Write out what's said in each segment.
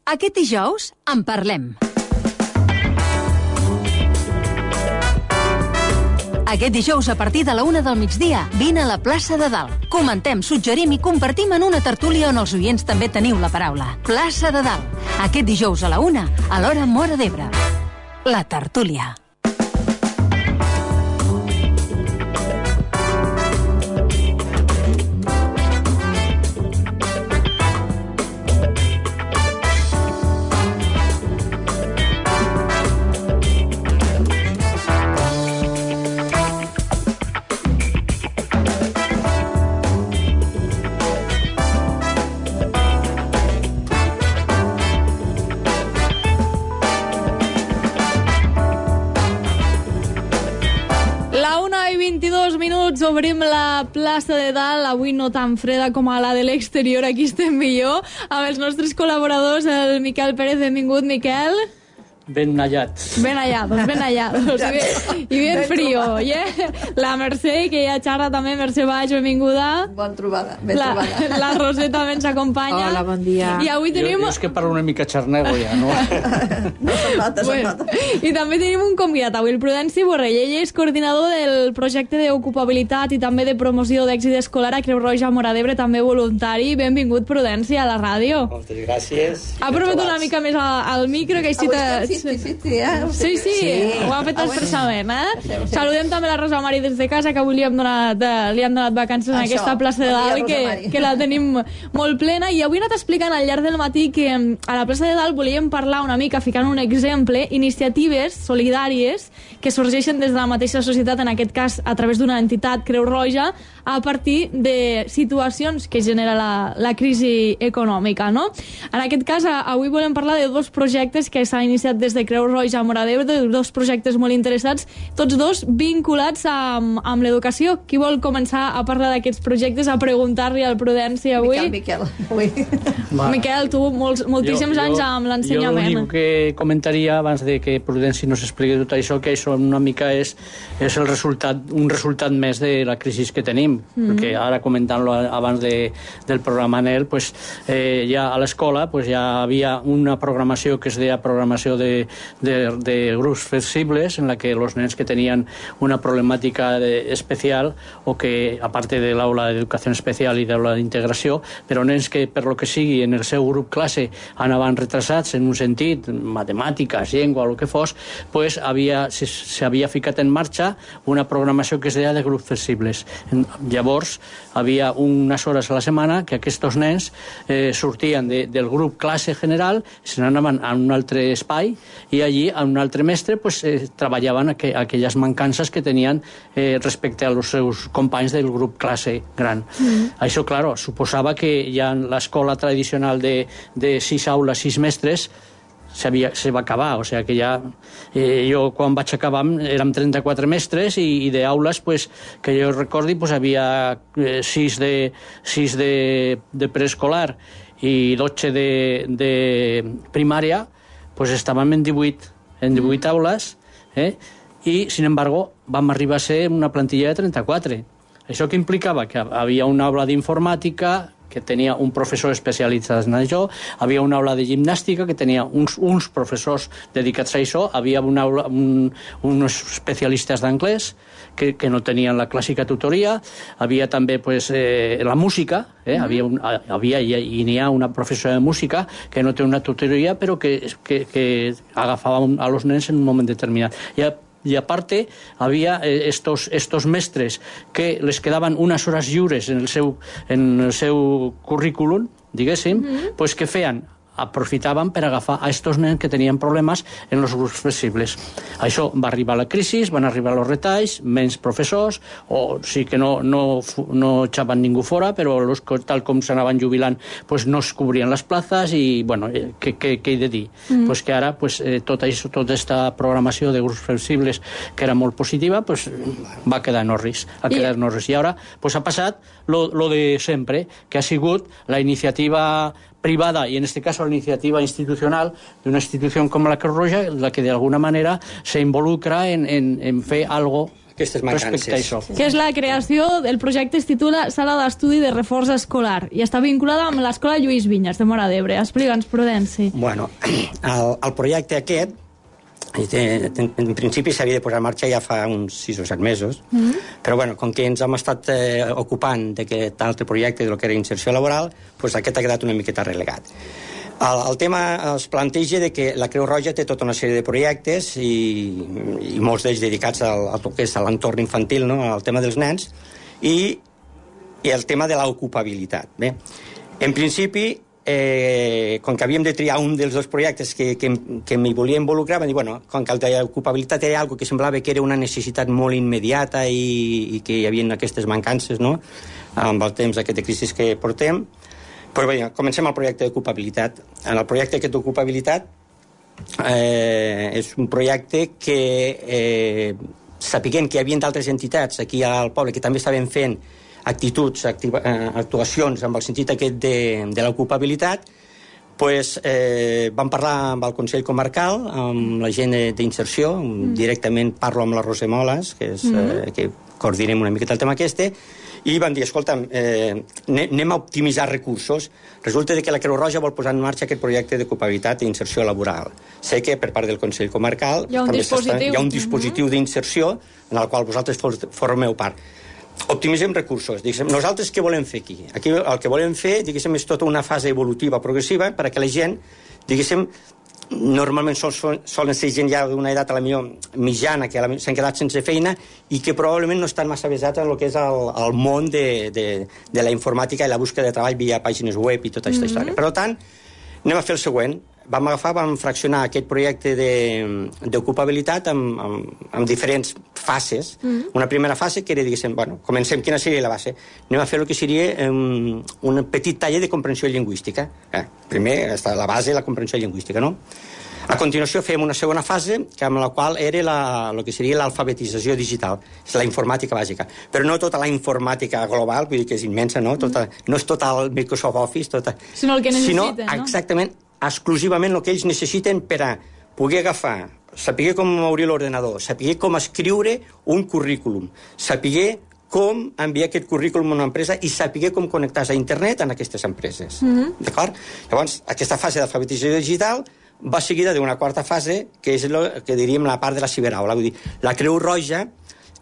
Aquest dijous en parlem. Aquest dijous, a partir de la 1 del migdia, vine a la plaça de Dalt. Comentem, suggerim i compartim en una tertúlia on els oients també teniu la paraula. Plaça de Dalt. Aquest dijous a la 1, a l'hora Móra d'Ebre. La tertúlia. Obrim la plaça de Dalt, avui no tan freda com a la de l'exterior, aquí estem millor, amb els nostres col·laboradors, el Miquel Pérez. Benvingut, Miquel. Ben hallats. Ben hallados. I ben frío. La Mercè, que ja xerra també. Mercè Baix, benvinguda. Bon trobada, ben trobada. La Roser també ens acompanya. Hola, bon dia. I avui tenim... Jo és que parlo una mica xarnego ja, no? No se'n nota. I també tenim un convidat avui, el Prudenci Borrell. Ell és coordinador del projecte d'ocupabilitat i també de promoció d'èxit escolar a Creu Roja Móra d'Ebre, també voluntari. Benvingut, Prudenci, a la ràdio. Moltes gràcies. Aprova't una mica més al micro, que així Sí, ho ha fet expressament, Saludem també la Rosa Mari des de casa, que avui li han donat vacances en aquesta plaça de Dalt, que la tenim molt plena. I avui he anat explicant al llarg del matí que a la plaça de Dalt volíem parlar una mica, ficant un exemple, iniciatives solidàries que sorgeixen des de la mateixa societat, en aquest cas a través d'una entitat, Creu Roja, a partir de situacions que genera la crisi econòmica, no? En aquest cas, avui volem parlar de dos projectes que s'han iniciat des de Creu Roja a Móra d'Ebre, dos projectes molt interessants, tots dos vinculats amb l'educació. Qui vol començar a parlar d'aquests projectes, a preguntar-li al Prudenci avui? Miquel. Miquel, tu moltíssims anys amb l'ensenyament. Jo l'únic que comentaria abans de que Prudenci nos expliqui tot això, que això una mica és un resultat més de la crisi que tenim, perquè ara comentant-lo abans del programa ANEL, pues, ja a l'escola pues, ja havia una programació que es deia programació de grups flexibles, en la que los nens que tenien una problemàtica especial o que, a part de l'aula d'educació especial i d'aula d'integració, però nens que, per lo que sigui, en el seu grup classe anaven retrasats en un sentit, matemàtiques, llengua, o el que fos, pues s'havia ficat en marxa una programació que es deia de grups flexibles. Llavors, havia unes hores a la setmana que aquests nens sortien del grup classe general, se n'anaven a un altre espai i allí, a un altre mestre, pues, treballaven aquelles mancances que tenien respecte als seus companys del grup classe gran. Això, claro, suposava que ja en l'escola tradicional de 6 aules, 6 mestres, se va acabar, o sigui que ja jo quan vaig acabar érem 34 mestres i d'aules, pues, que jo recordi, pues, havia 6 de preescolar i 12 de primària, pues estàvem en 18 aules, i, sin embargo, vam arribar a ser una plantilla de 34. Això que implicava que havia una aula d'informàtica que tenia un professor especialitzat en això, havia una aula de gimnàstica que tenia uns professors dedicats a això, havia una aula, uns especialistes d'anglès que no tenien la clàssica tutoria, havia també pues, la música, havia i n'hi ha una professora de música que no té una tutoria però que agafava a los nens en un moment determinat. Y aparte había estos mestres que les quedaban unas horas lliures en el seu currículum, diguéssim, pues que feien aprofitaven per agafar a estos nens que tenien problemes en els grups flexibles. Això va arribar a la crisi, van arribar els retalls, menys professors, o sí que no echaven ningú fora, però tal com s'anaven jubilant pues no es cobrien les plazas i, bueno, què he de dir? Pues que ara pues, tota aquesta programació de grups flexibles que era molt positiva pues, va quedar en orris. I ara pues, ha passat lo de sempre, que ha sigut la iniciativa privada y en este caso la iniciativa institucional de una institución como la Creu Roja, la que de alguna manera se involucra en fer algo aquestes mancances. Respecte a això. Que és la creació del projecte, es titula Sala d'Estudi de Reforç Escolar i està vinculada amb l'Escola Lluís Vinyes de Móra d'Ebre. Explica'ns, Prudenci. Bueno, el projecte aquest, en principi s'havia de posar en marxa ja fa uns 6 o 7 mesos, però bueno, com que ens hem estat ocupant d'aquest altre projecte de lo que era inserció laboral, doncs aquest ha quedat una miqueta relegat. El tema es planteja de que la Creu Roja té tota una sèrie de projectes i molts d'ells dedicats al que és l'entorn infantil, no? Al tema dels nens, i el tema de l'ocupabilitat. Bé, en principi, com que havíem de triar un dels dos projectes que m'hi volia involucrar, vam dir, bueno, com que el d'ocupabilitat era algo que semblava que era una necessitat molt immediata i que hi havia aquestes mancances, no?, amb el temps aquest de crisi que portem, però bé, comencem el projecte d'ocupabilitat. En el projecte aquest d'ocupabilitat és un projecte que, sapiguent que hi havia d'altres entitats aquí al poble que també estaven fent actuacions amb el sentit aquest de l'ocupabilitat, doncs vam parlar amb el Consell Comarcal, amb la gent d'inserció, directament parlo amb la Roser Moles, que coordinem una miqueta el tema aquest, i vam dir, escolta, anem a optimitzar recursos. Resulta que la Creu Roja vol posar en marxa aquest projecte d'ocupabilitat i inserció laboral. Sé que per part del Consell Comarcal hi ha un dispositiu d'inserció en el qual vosaltres formeu part. Optimitzem recursos. Nosaltres què volem fer aquí? Aquí el que volem fer, és tota una fase evolutiva progressiva perquè la gent, normalment solen ser gent ja d'una edat a la millor mitjana, que s'han quedat sense feina i que probablement no estan massa avesats en el que és el món de la informàtica i la búsqueda de treball via pàgines web i tota aquesta història. Per tant, anem a fer el següent. Vam fraccionar aquest projecte d'ocupabilitat en diferents fases. Una primera fase que era, bueno, comencem, quina seria la base? Anem a fer el que seria un petit taller de comprensió lingüística. Primer està la base, la comprensió lingüística, no? A continuació fem una segona fase, amb la qual era el que seria l'alfabetització digital, és la informàtica bàsica. Però no tota la informàtica global, vull dir que és immensa, no? No és tot el Microsoft Office, sinó el que necessiten, no? Exactament, exclusivament el que ells necessiten per a poder agafar, saber com obrir l'ordenador, saber com escriure un currículum, saber com enviar aquest currículum a una empresa i saber com connectar-se a internet en aquestes empreses. D'acord? Llavors, aquesta fase d'alfabetització digital va seguida d'una quarta fase, que és el que diríem la part de la ciberaula. Vull dir, la Creu Roja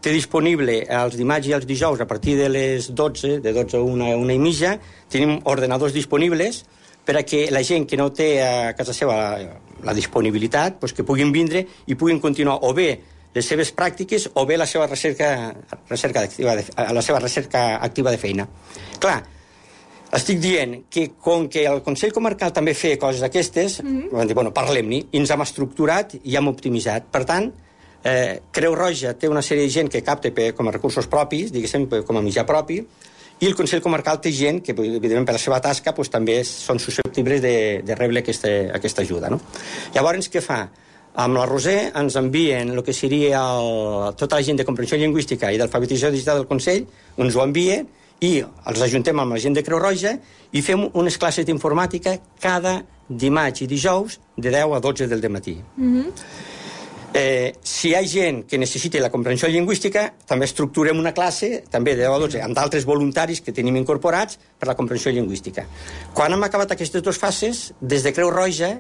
té disponible els dimarts i els dijous a partir de les 12, de 12 a 1 i mitja, tenim ordenadors disponibles per a que la gent que no té a casa seva la disponibilitat, doncs que puguin vindre i puguin continuar o bé les seves pràctiques o bé la seva recerca activa de feina. Clar, estic dient que com que el Consell Comarcal també feia coses d'aquestes, vam dir, bueno, parlem-ne, i ens hem estructurat i hem optimitzat. Per tant, Creu Roja té una sèrie de gent que capta com a recursos propis, com a mitjà propi, i el Consell Comarcal té gent que, evidentment, per la seva tasca, també són susceptibles de rebre aquesta ajuda. Llavors, què fa? Amb la Roser ens envien el que seria tota la gent de comprensió lingüística i d'alfabetització digital del Consell, ens ho envia i els ajuntem amb la gent de Creu Roja i fem unes classes d'informàtica cada dimarts i dijous de 10 a 12 del matí. Si hi ha gent que necessita la comprensió lingüística, també estructurem una classe, també de 10 a 12, amb d'altres voluntaris que tenim incorporats per la comprensió lingüística. Quan hem acabat aquestes dues fases, des de Creu Roja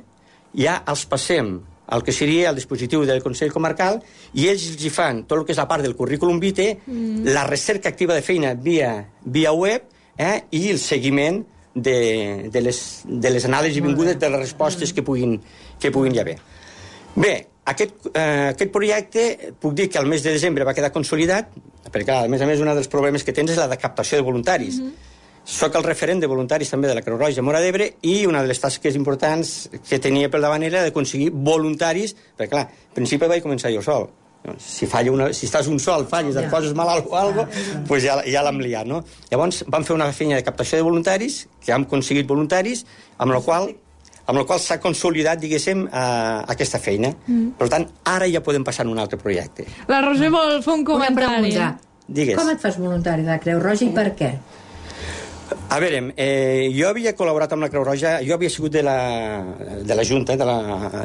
ja els passem el que seria el dispositiu del Consell Comarcal i ells hi fan tot el que és la part del currículum vitae, la recerca activa de feina via web i el seguiment de les anades i vingudes de les respostes que puguin hi haver. Bé, aquest projecte, puc dir que al mes de desembre va quedar consolidat, perquè, a més, un dels problemes que tens és la de captació de voluntaris. Soc el referent de voluntaris també de la Creu Roja Móra d'Ebre i una de les tasques importants que tenia pel davant era d'aconseguir voluntaris, perquè, clar, al principi vaig començar jo sol. Si estàs un sol, falles, et poses malalt o alguna cosa, doncs ja l'hem liat, no? Llavors vam fer una feina de captació de voluntaris, que hem aconseguit voluntaris, amb la qual s'ha consolidat, aquesta feina. Per tant, ara ja podem passar a un altre projecte. La Roser vol fer un comentari. Digues. Com et fas voluntari de la Creu Roja i per què? A veure, jo havia col·laborat amb la Creu Roja, jo havia sigut de la Junta,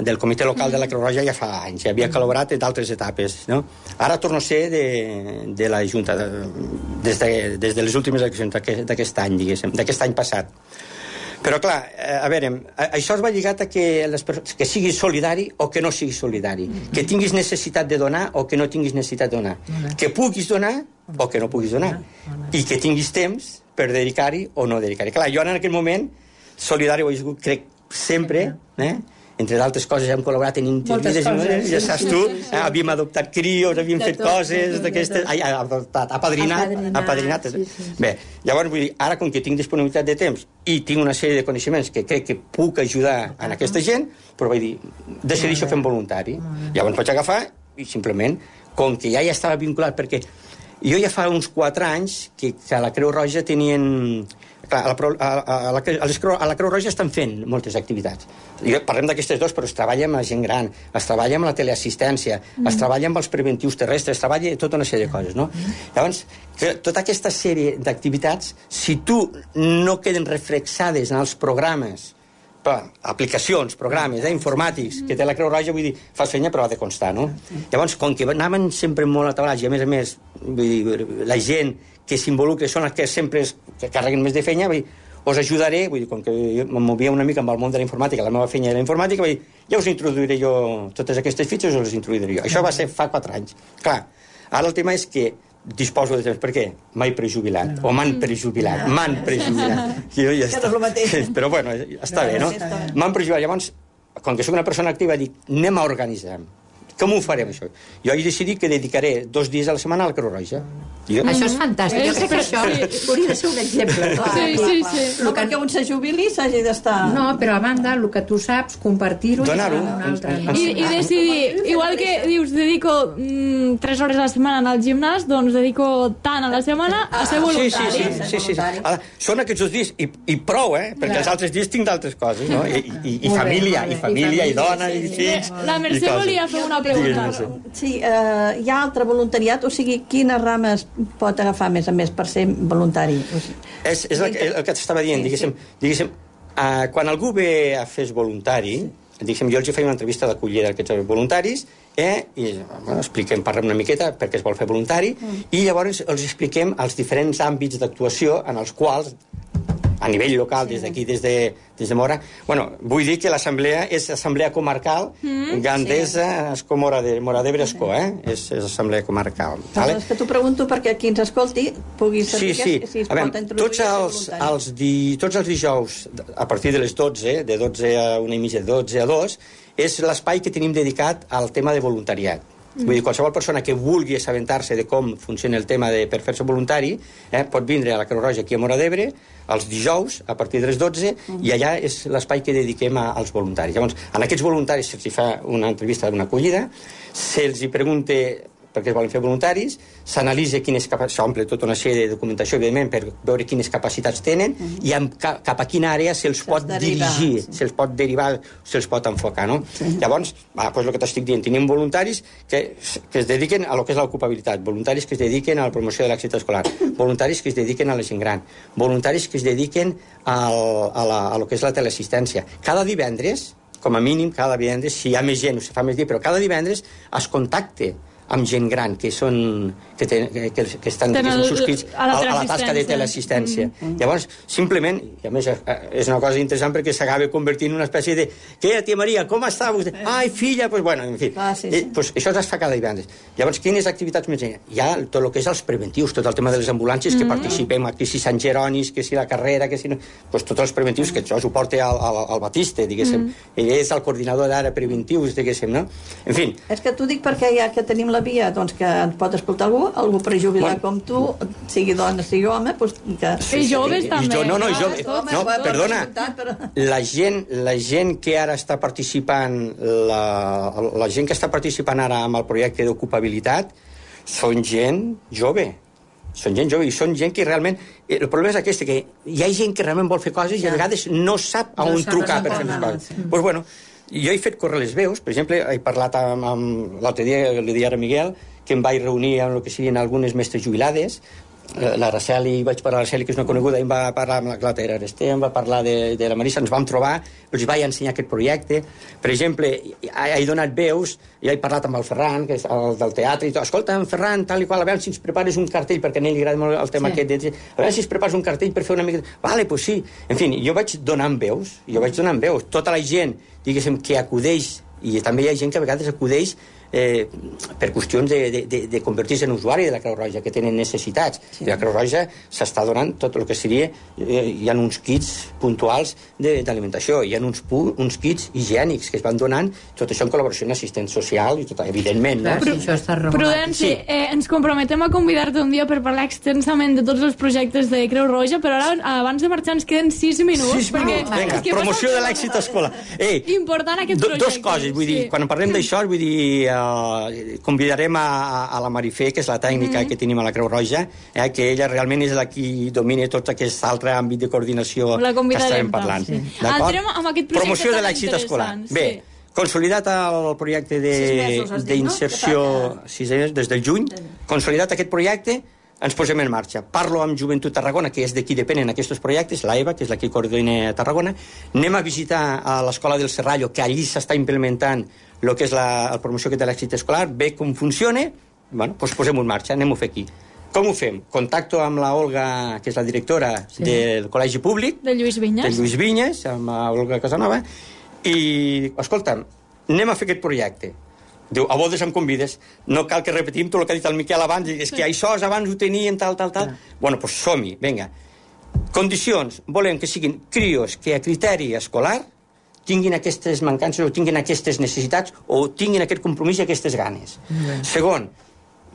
del comitè local de la Creu Roja ja fa anys, havia col·laborat en d'altres etapes, no? Ara torno a ser de la Junta, des de les últimes eleccions d'aquest any, diguéssim, d'aquest any passat. Però, clar, a veure, això es va lligat a que siguis solidari o que no siguis solidari, que tinguis necessitat de donar o que no tinguis necessitat de donar, que puguis donar o que no puguis donar, i que tinguis temps per dedicar-hi o no dedicar-hi. Clar, jo en aquell moment, solidari ho he sigut, crec, sempre, entre d'altres coses hem col·laborat en intervides, ja saps tu, havíem adoptat crios, havíem fet coses d'aquestes, apadrinat. Bé, llavors vull dir, ara com que tinc disponibilitat de temps i tinc una sèrie de coneixements que crec que puc ajudar a aquesta gent, però vull dir, decideixo fer voluntari. Llavors vaig agafar i simplement, com que ja estava vinculat, perquè jo ja fa uns 4 anys que a la Creu Roja tenien... Clar, a la Creu Roja estan fent moltes activitats. Parlem d'aquestes dues, però es treballa amb la gent gran, es treballa amb la teleassistència, es treballa amb els preventius terrestres, es treballa tota una sèrie de coses, no? Llavors, tota aquesta sèrie d'activitats, si tu no queden reflexades en els programes, aplicacions, programes informàtics que té la Creu Roja, vull dir, fas feina però ha de constar, no? Llavors, com que anaven sempre molt atabalats i a més, vull dir, la gent que s'involucra són els que sempre que carreguen més de feina, vull dir, us ajudaré, vull dir, com que em movia una mica amb el món de la informàtica, la meva feina era la informàtica, vull dir, ja us introduiré jo totes aquestes fitxes, us les introduiré jo. Això va ser fa 4 anys. Clar, ara el tema és que disposo de temps. Per què? M'he prejubilat. O m'han prejubilat. Jo ja està. Però bueno, està bé, no? M'han prejubilat. Llavors, com que soc una persona activa, dic, anem a organitzar. Com ho farem, això? Jo he decidit que dedicaré 2 dies a la setmana a la Creu Roja. Això és fantàstic. Jo crec que això hauria de ser un exemple. Sí. No perquè un se jubili s'hagi d'estar... No, però a banda, el que tu saps, compartir-ho... Donar-ho. I decidir, igual que dius, dedico 3 hores a la setmana al gimnàs, doncs dedico tant a la setmana a ser voluntari. Sí. Són aquests 2 dies, i prou, perquè els altres dies tinc d'altres coses, no? I família, i dona, i fills... La Mercè volia fer una pregunta. Sí, hi ha altre voluntariat, o sigui, quines rames pot agafar més a més per ser voluntari? És el que t'estava dient, diguéssim, quan algú ve a fer voluntari, diguéssim, jo els faig una entrevista d'acollida d'aquests voluntaris, i expliquem, parlem una miqueta perquè es vol fer voluntari, i llavors els expliquem els diferents àmbits d'actuació en els quals, a nivell local, des d'aquí, des de Mora, vull dir que l'assemblea és assemblea comarcal Gandesa, Mora d'Ebre, Escó, és assemblea comarcal. És que t'ho pregunto perquè qui ens escolti pugui saber si es pot introduir tots els dijous, a partir de les 12, de 12 a 1:30, de 12 a 2, és l'espai que tenim dedicat al tema de voluntariat. Vull dir, qualsevol persona que vulgui assabentar-se de com funciona el tema de per fer-se voluntari pot vindre a la Creu Roja aquí a Mora d'Ebre els dijous a partir de les 12 i allà és l'espai que dediquem als voluntaris. Llavors, en aquests voluntaris se'ls fa una entrevista d'una acollida, se'ls pregunta perquè es volen fer voluntaris, s'analitza s'omple tota una sèrie de documentació, evidentment, per veure quines capacitats tenen i cap a quina àrea se'ls pot dirigir, se'ls pot derivar, se'ls pot enfocar, no? Llavors, doncs el que t'estic dient, tenim voluntaris que es dediquen a lo que és l'ocupabilitat, voluntaris que es dediquen a la promoció de l'èxit escolar, voluntaris que es dediquen a la gent gran, voluntaris que es dediquen a lo que és la teleassistència. Cada divendres, com a mínim, cada divendres, si hi ha més gent o si fa més dia, però cada divendres es contacte amb gent gran que estan subscrits a la tasca de teleassistència. Llavors, simplement, i a més és una cosa interessant perquè s'acaba convertint en una espècie de què, tia Maria, com està vostè? Ai, filla, doncs bueno, en fi. Això es fa cada divendres. Llavors, quines activitats més hi ha? Tot el que és els preventius, tot el tema de les ambulàncies que participem, que si Sant Jeronis, que si la carrera, que si no... Doncs tots els preventius, que això ho porta al Batiste, diguéssim. Ell és el coordinador d'ara preventius, diguéssim, no? En fi. És que t'ho dic perquè ja que tenim la via, doncs que ens pot escoltar algú prejubilat com tu, sigui dona, sigui home, i joves també. No, perdona, la gent que ara està participant, la gent que està participant ara amb el projecte d'ocupabilitat són gent jove, i són gent que realment... El problema és aquest, que hi ha gent que realment vol fer coses i a vegades no sap a on trucar per fer les coses. Doncs bueno, jo he fet córrer les veus, per exemple, he parlat amb l'altre dia, li deia a Miguel, que em vaig reunir amb el que serien algunes mestres jubilades, l'Araceli, vaig parlar a l'Araceli, que és una coneguda, em va parlar amb la Clara Aresté, em va parlar de la Marissa, ens vam trobar, els vaig ensenyar aquest projecte. Per exemple, he donat veus, i he parlat amb el Ferran, que és el del teatre, i tot. Escolta, en Ferran, tal i qual, a veure si ens prepares un cartell, perquè a ell li agrada molt el tema aquest, a veure si ens prepares un cartell per fer una mica... Vale, pues sí. En fi, jo vaig donant veus, Tota la gent, diguéssim, que acudeix, i també hi ha gent que a vegades acudeix per qüestions de convertir-se en usuari de la Creu Roja, que tenen necessitats. I la Creu Roja s'està donant tot el que seria... hi ha uns kits puntuals d'alimentació, hi ha uns kits higiènics que es van donant, tot això en col·laboració amb l'assistent social, i tot, evidentment. No? Sí, això està regulat. Prudenci, ens comprometem a convidar-te un dia per parlar extensament de tots els projectes de Creu Roja, però ara, abans de marxar, ens queden 6 minuts. 6 minuts, vinga, promoció de l'èxit escolar. Important aquest projecte. Dos coses, vull dir, quan parlem d'això, vull dir... convidarem a la Marifé, que és la tècnica que tenim a la Creu Roja, que ella realment és la qui domina tot aquest altre àmbit de coordinació que estarem parlant. Sí. Promoció de l'èxit escolar. Bé, consolidat el projecte d'inserció 6 mesos, des del juny, consolidat aquest projecte, ens posem en marxa. Parlo amb Joventut Tarragona, que és de qui depenen aquests projectes, la Eva, que és la que coordina a Tarragona. Anem a visitar a l'Escola del Serrallo, que allí s'està implementant el que és la promoció de l'èxit escolar, ve com funciona, bueno, doncs posem-ho en marxa, anem-ho a fer aquí. Com ho fem? Contacto amb la Olga, que és la directora del Col·legi Públic, de Lluís Vinyes, amb la Olga Casanova, i, escolta'm, anem a fer aquest projecte. Diu, a voltes em convides, no cal que repetim tot el que ha dit el Miquel abans, és que això abans ho tenien, tal. Bueno, doncs som-hi, vinga. Condicions, volem que siguin crios que a criteri escolar tinguin aquestes mancances o tinguin aquestes necessitats o tinguin aquest compromís i aquestes ganes. Segon,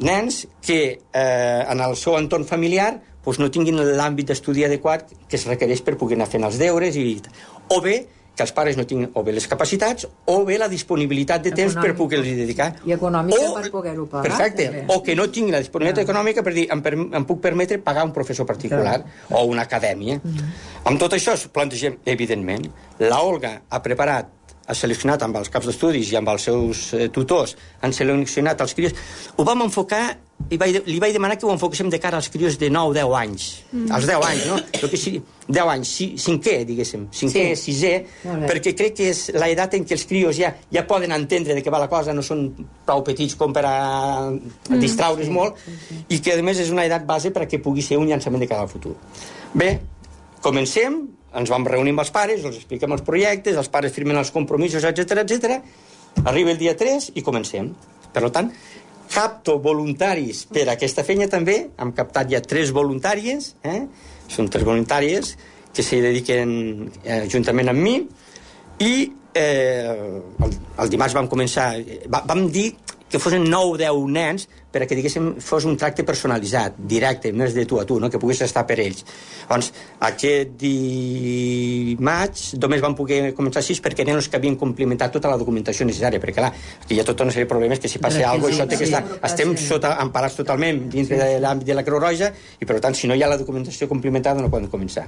nens que en el seu entorn familiar doncs no tinguin l'àmbit d'estudi adequat que es requereix per poder anar fent els deures, o bé que els pares no tinguin o bé les capacitats o bé la disponibilitat de temps per poder-los dedicar. I econòmica per poder-ho pagar. Perfecte. O que no tinguin la disponibilitat econòmica per dir, em puc permetre pagar un professor particular o una acadèmia. Amb tot això plantegem, evidentment, la Olga ha preparat, ha seleccionat amb els caps d'estudis i amb els seus tutors, han seleccionat els crios. Ho vam enfocar i li vaig demanar que ho enfoquéssim de cara als crios de 9-10 anys. Als 10 anys, no? 10 anys, cinquè, diguéssim. Cinquè, sisè, perquè crec que és l'edat en què els crios ja poden entendre de què va la cosa, no són prou petits com per a distraure's molt, i que, a més, és una edat base perquè pugui ser un llançament de cara al futur. Bé, comencem, ens vam reunir amb els pares, els expliquem els projectes, els pares firmen els compromisos, etc. Arriba el dia 3 i comencem. Per tant, capto voluntaris per a aquesta feina també, hem captat ja 3 voluntàries, són 3 voluntàries que s'hi dediquen juntament amb mi, i el dimarts vam començar, vam dir que fossin 9 o 10 nens per a que, diguéssim, fos un tracte personalitzat, directe, més de tu a tu, no? Que pogués estar per ells. Doncs aquest dimarts només vam poder començar 6 perquè eren els que havien complimentat tota la documentació necessària, perquè clar, aquí hi ha tota una sèrie de problemes que si passa alguna cosa, això té que estar... Estem emparats totalment dintre de l'àmbit de la Creu Roja i, per tant, si no hi ha la documentació complementada no poden començar.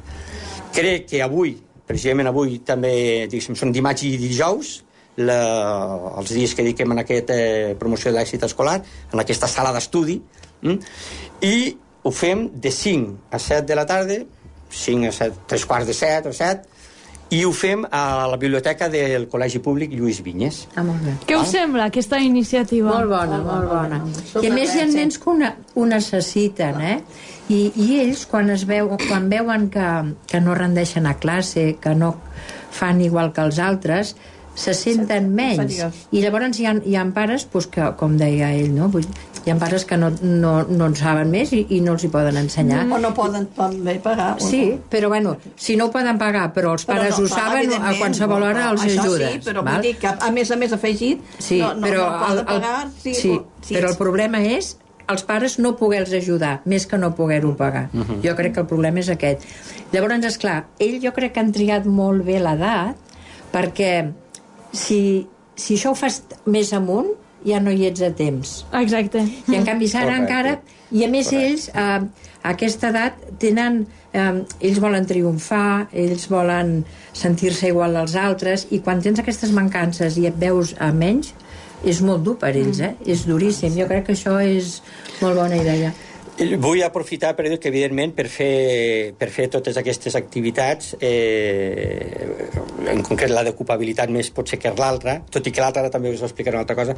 Crec que avui, precisament avui també, diguéssim, són dimarts i dijous, els dies que dediquem en aquesta promoció de l'èxit escolar, en aquesta sala d'estudi, i ho fem de 5 a 7 de la tarda, 5 a 7, 3 quarts de 7 o 7, i ho fem a la biblioteca del Col·legi Públic Lluís Vinyes. Molt bé. Què us sembla, aquesta iniciativa? Molt bona. I a més hi ha nens que ho necessiten, I ells, quan veuen que no rendeixen a classe, que no fan igual que els altres, se senten menys. I llavors hi ha pares, que, com deia ell, no? Hi ha pares que no en saben més i no els hi poden ensenyar. O no poden pagar. Sí, però bueno, si no ho poden pagar, però els pares ho saben, a qualsevol hora els ajuda. Sí, però vull dir que a més afegit, no poden pagar. Sí, però el problema és els pares no poder-los ajudar, més que no poder-ho pagar. Jo crec que el problema és aquest. Llavors, esclar, ell jo crec que han triat molt bé l'edat, perquè si això ho fas més amunt, ja no hi ets a temps. Exacte. I en canvi ara encara... I a més ells, a aquesta edat, tenen... ells volen triomfar, ells volen sentir-se igual als altres, i quan tens aquestes mancances i et veus a menys, és molt dur per ells, És duríssim. Jo crec que això és molt bona idea. Vull aprofitar per dir que, evidentment, per fer totes aquestes activitats, en concret la d'ocupabilitat més pot ser que l'altra, tot i que l'altra ara també us explicaré una altra cosa,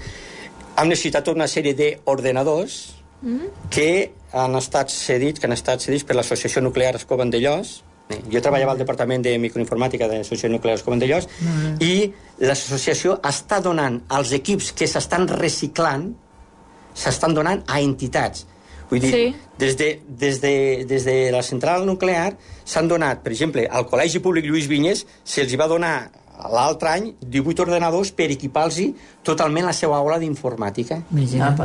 hem necessitat tota una sèrie d'ordenadors que han estat cedits per l'Associació Nuclear Escó Vandellòs. Jo treballava al Departament de Microinformàtica de l'Associació Nuclear Escó Vandellòs i l'associació està donant als equips que s'estan reciclant, s'estan donant a entitats. Vull dir, des de la central nuclear s'han donat, per exemple, al Col·legi Públic Lluís Vinyes se'ls va donar l'altre any 18 ordenadors per equipar-los totalment la seva aula d'informàtica.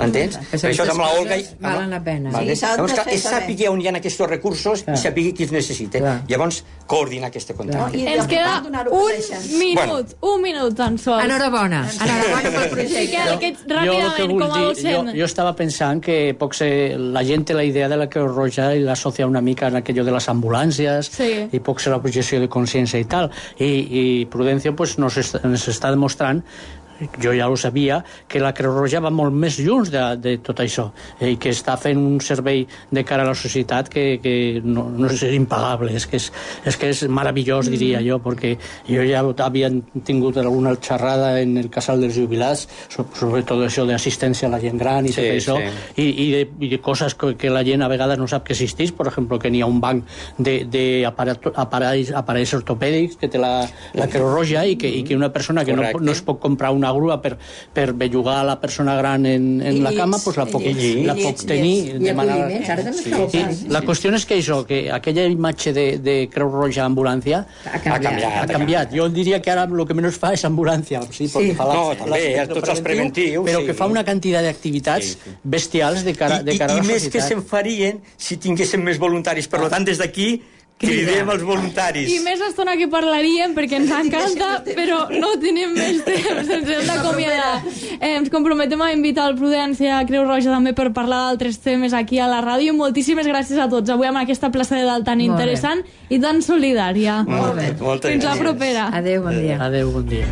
Entens? Per això amb la Olga... Valen la pena. Llavors, que sàpiga on hi ha aquests recursos i sàpiga qui els necessita. Llavors, coordinar aquest contacte. Ens queda un minut tan sols. Enhorabona pel projecte. Ràpidament, com a docent. Jo estava pensant que la gent té la idea de la Creu Roja i l'associa una mica en aquello de les ambulàncies i pot ser la projecció de consciència i tal. I Prudencio pues, nos està demostrant, jo ja ho sabia, que la Creu Roja va molt més lluny de tot això i que està fent un servei de cara a la societat que no és impagable, és que és meravellós, diria jo, perquè jo ja havia tingut alguna xerrada en el casal dels jubilats sobre tot això d'assistència a la gent gran i tot això, i de coses que la gent a vegades no sap que existeix, per exemple, que n'hi ha un banc d'aparells ortopèdics que té la Creu Roja i que una persona que no es pot comprar una grua per bellugar a la persona gran en la cama, doncs la pot tenir de manera... La qüestió és que això, que aquella imatge de Creu Roja ambulància ha canviat. Jo diria que ara el que menys fa és ambulància. També, tots els preventius. Però que fa una quantitat d'activitats bestials de cara a la societat. I més que se'n farien si tinguéssim més voluntaris. Per tant, des d'aquí cridem els voluntaris. I més estona que parlaríem, perquè ens encanta, però no tenim més temps, ens hem d'acomiadar. Ens comprometem a invitar el Prudència a Creu Roja també per parlar d'altres temes aquí a la ràdio. Moltíssimes gràcies a tots avui amb aquesta plaça de dalt tan interessant i tan solidària. Molt bé. Fins la propera. Adéu, bon dia. Adéu, bon dia.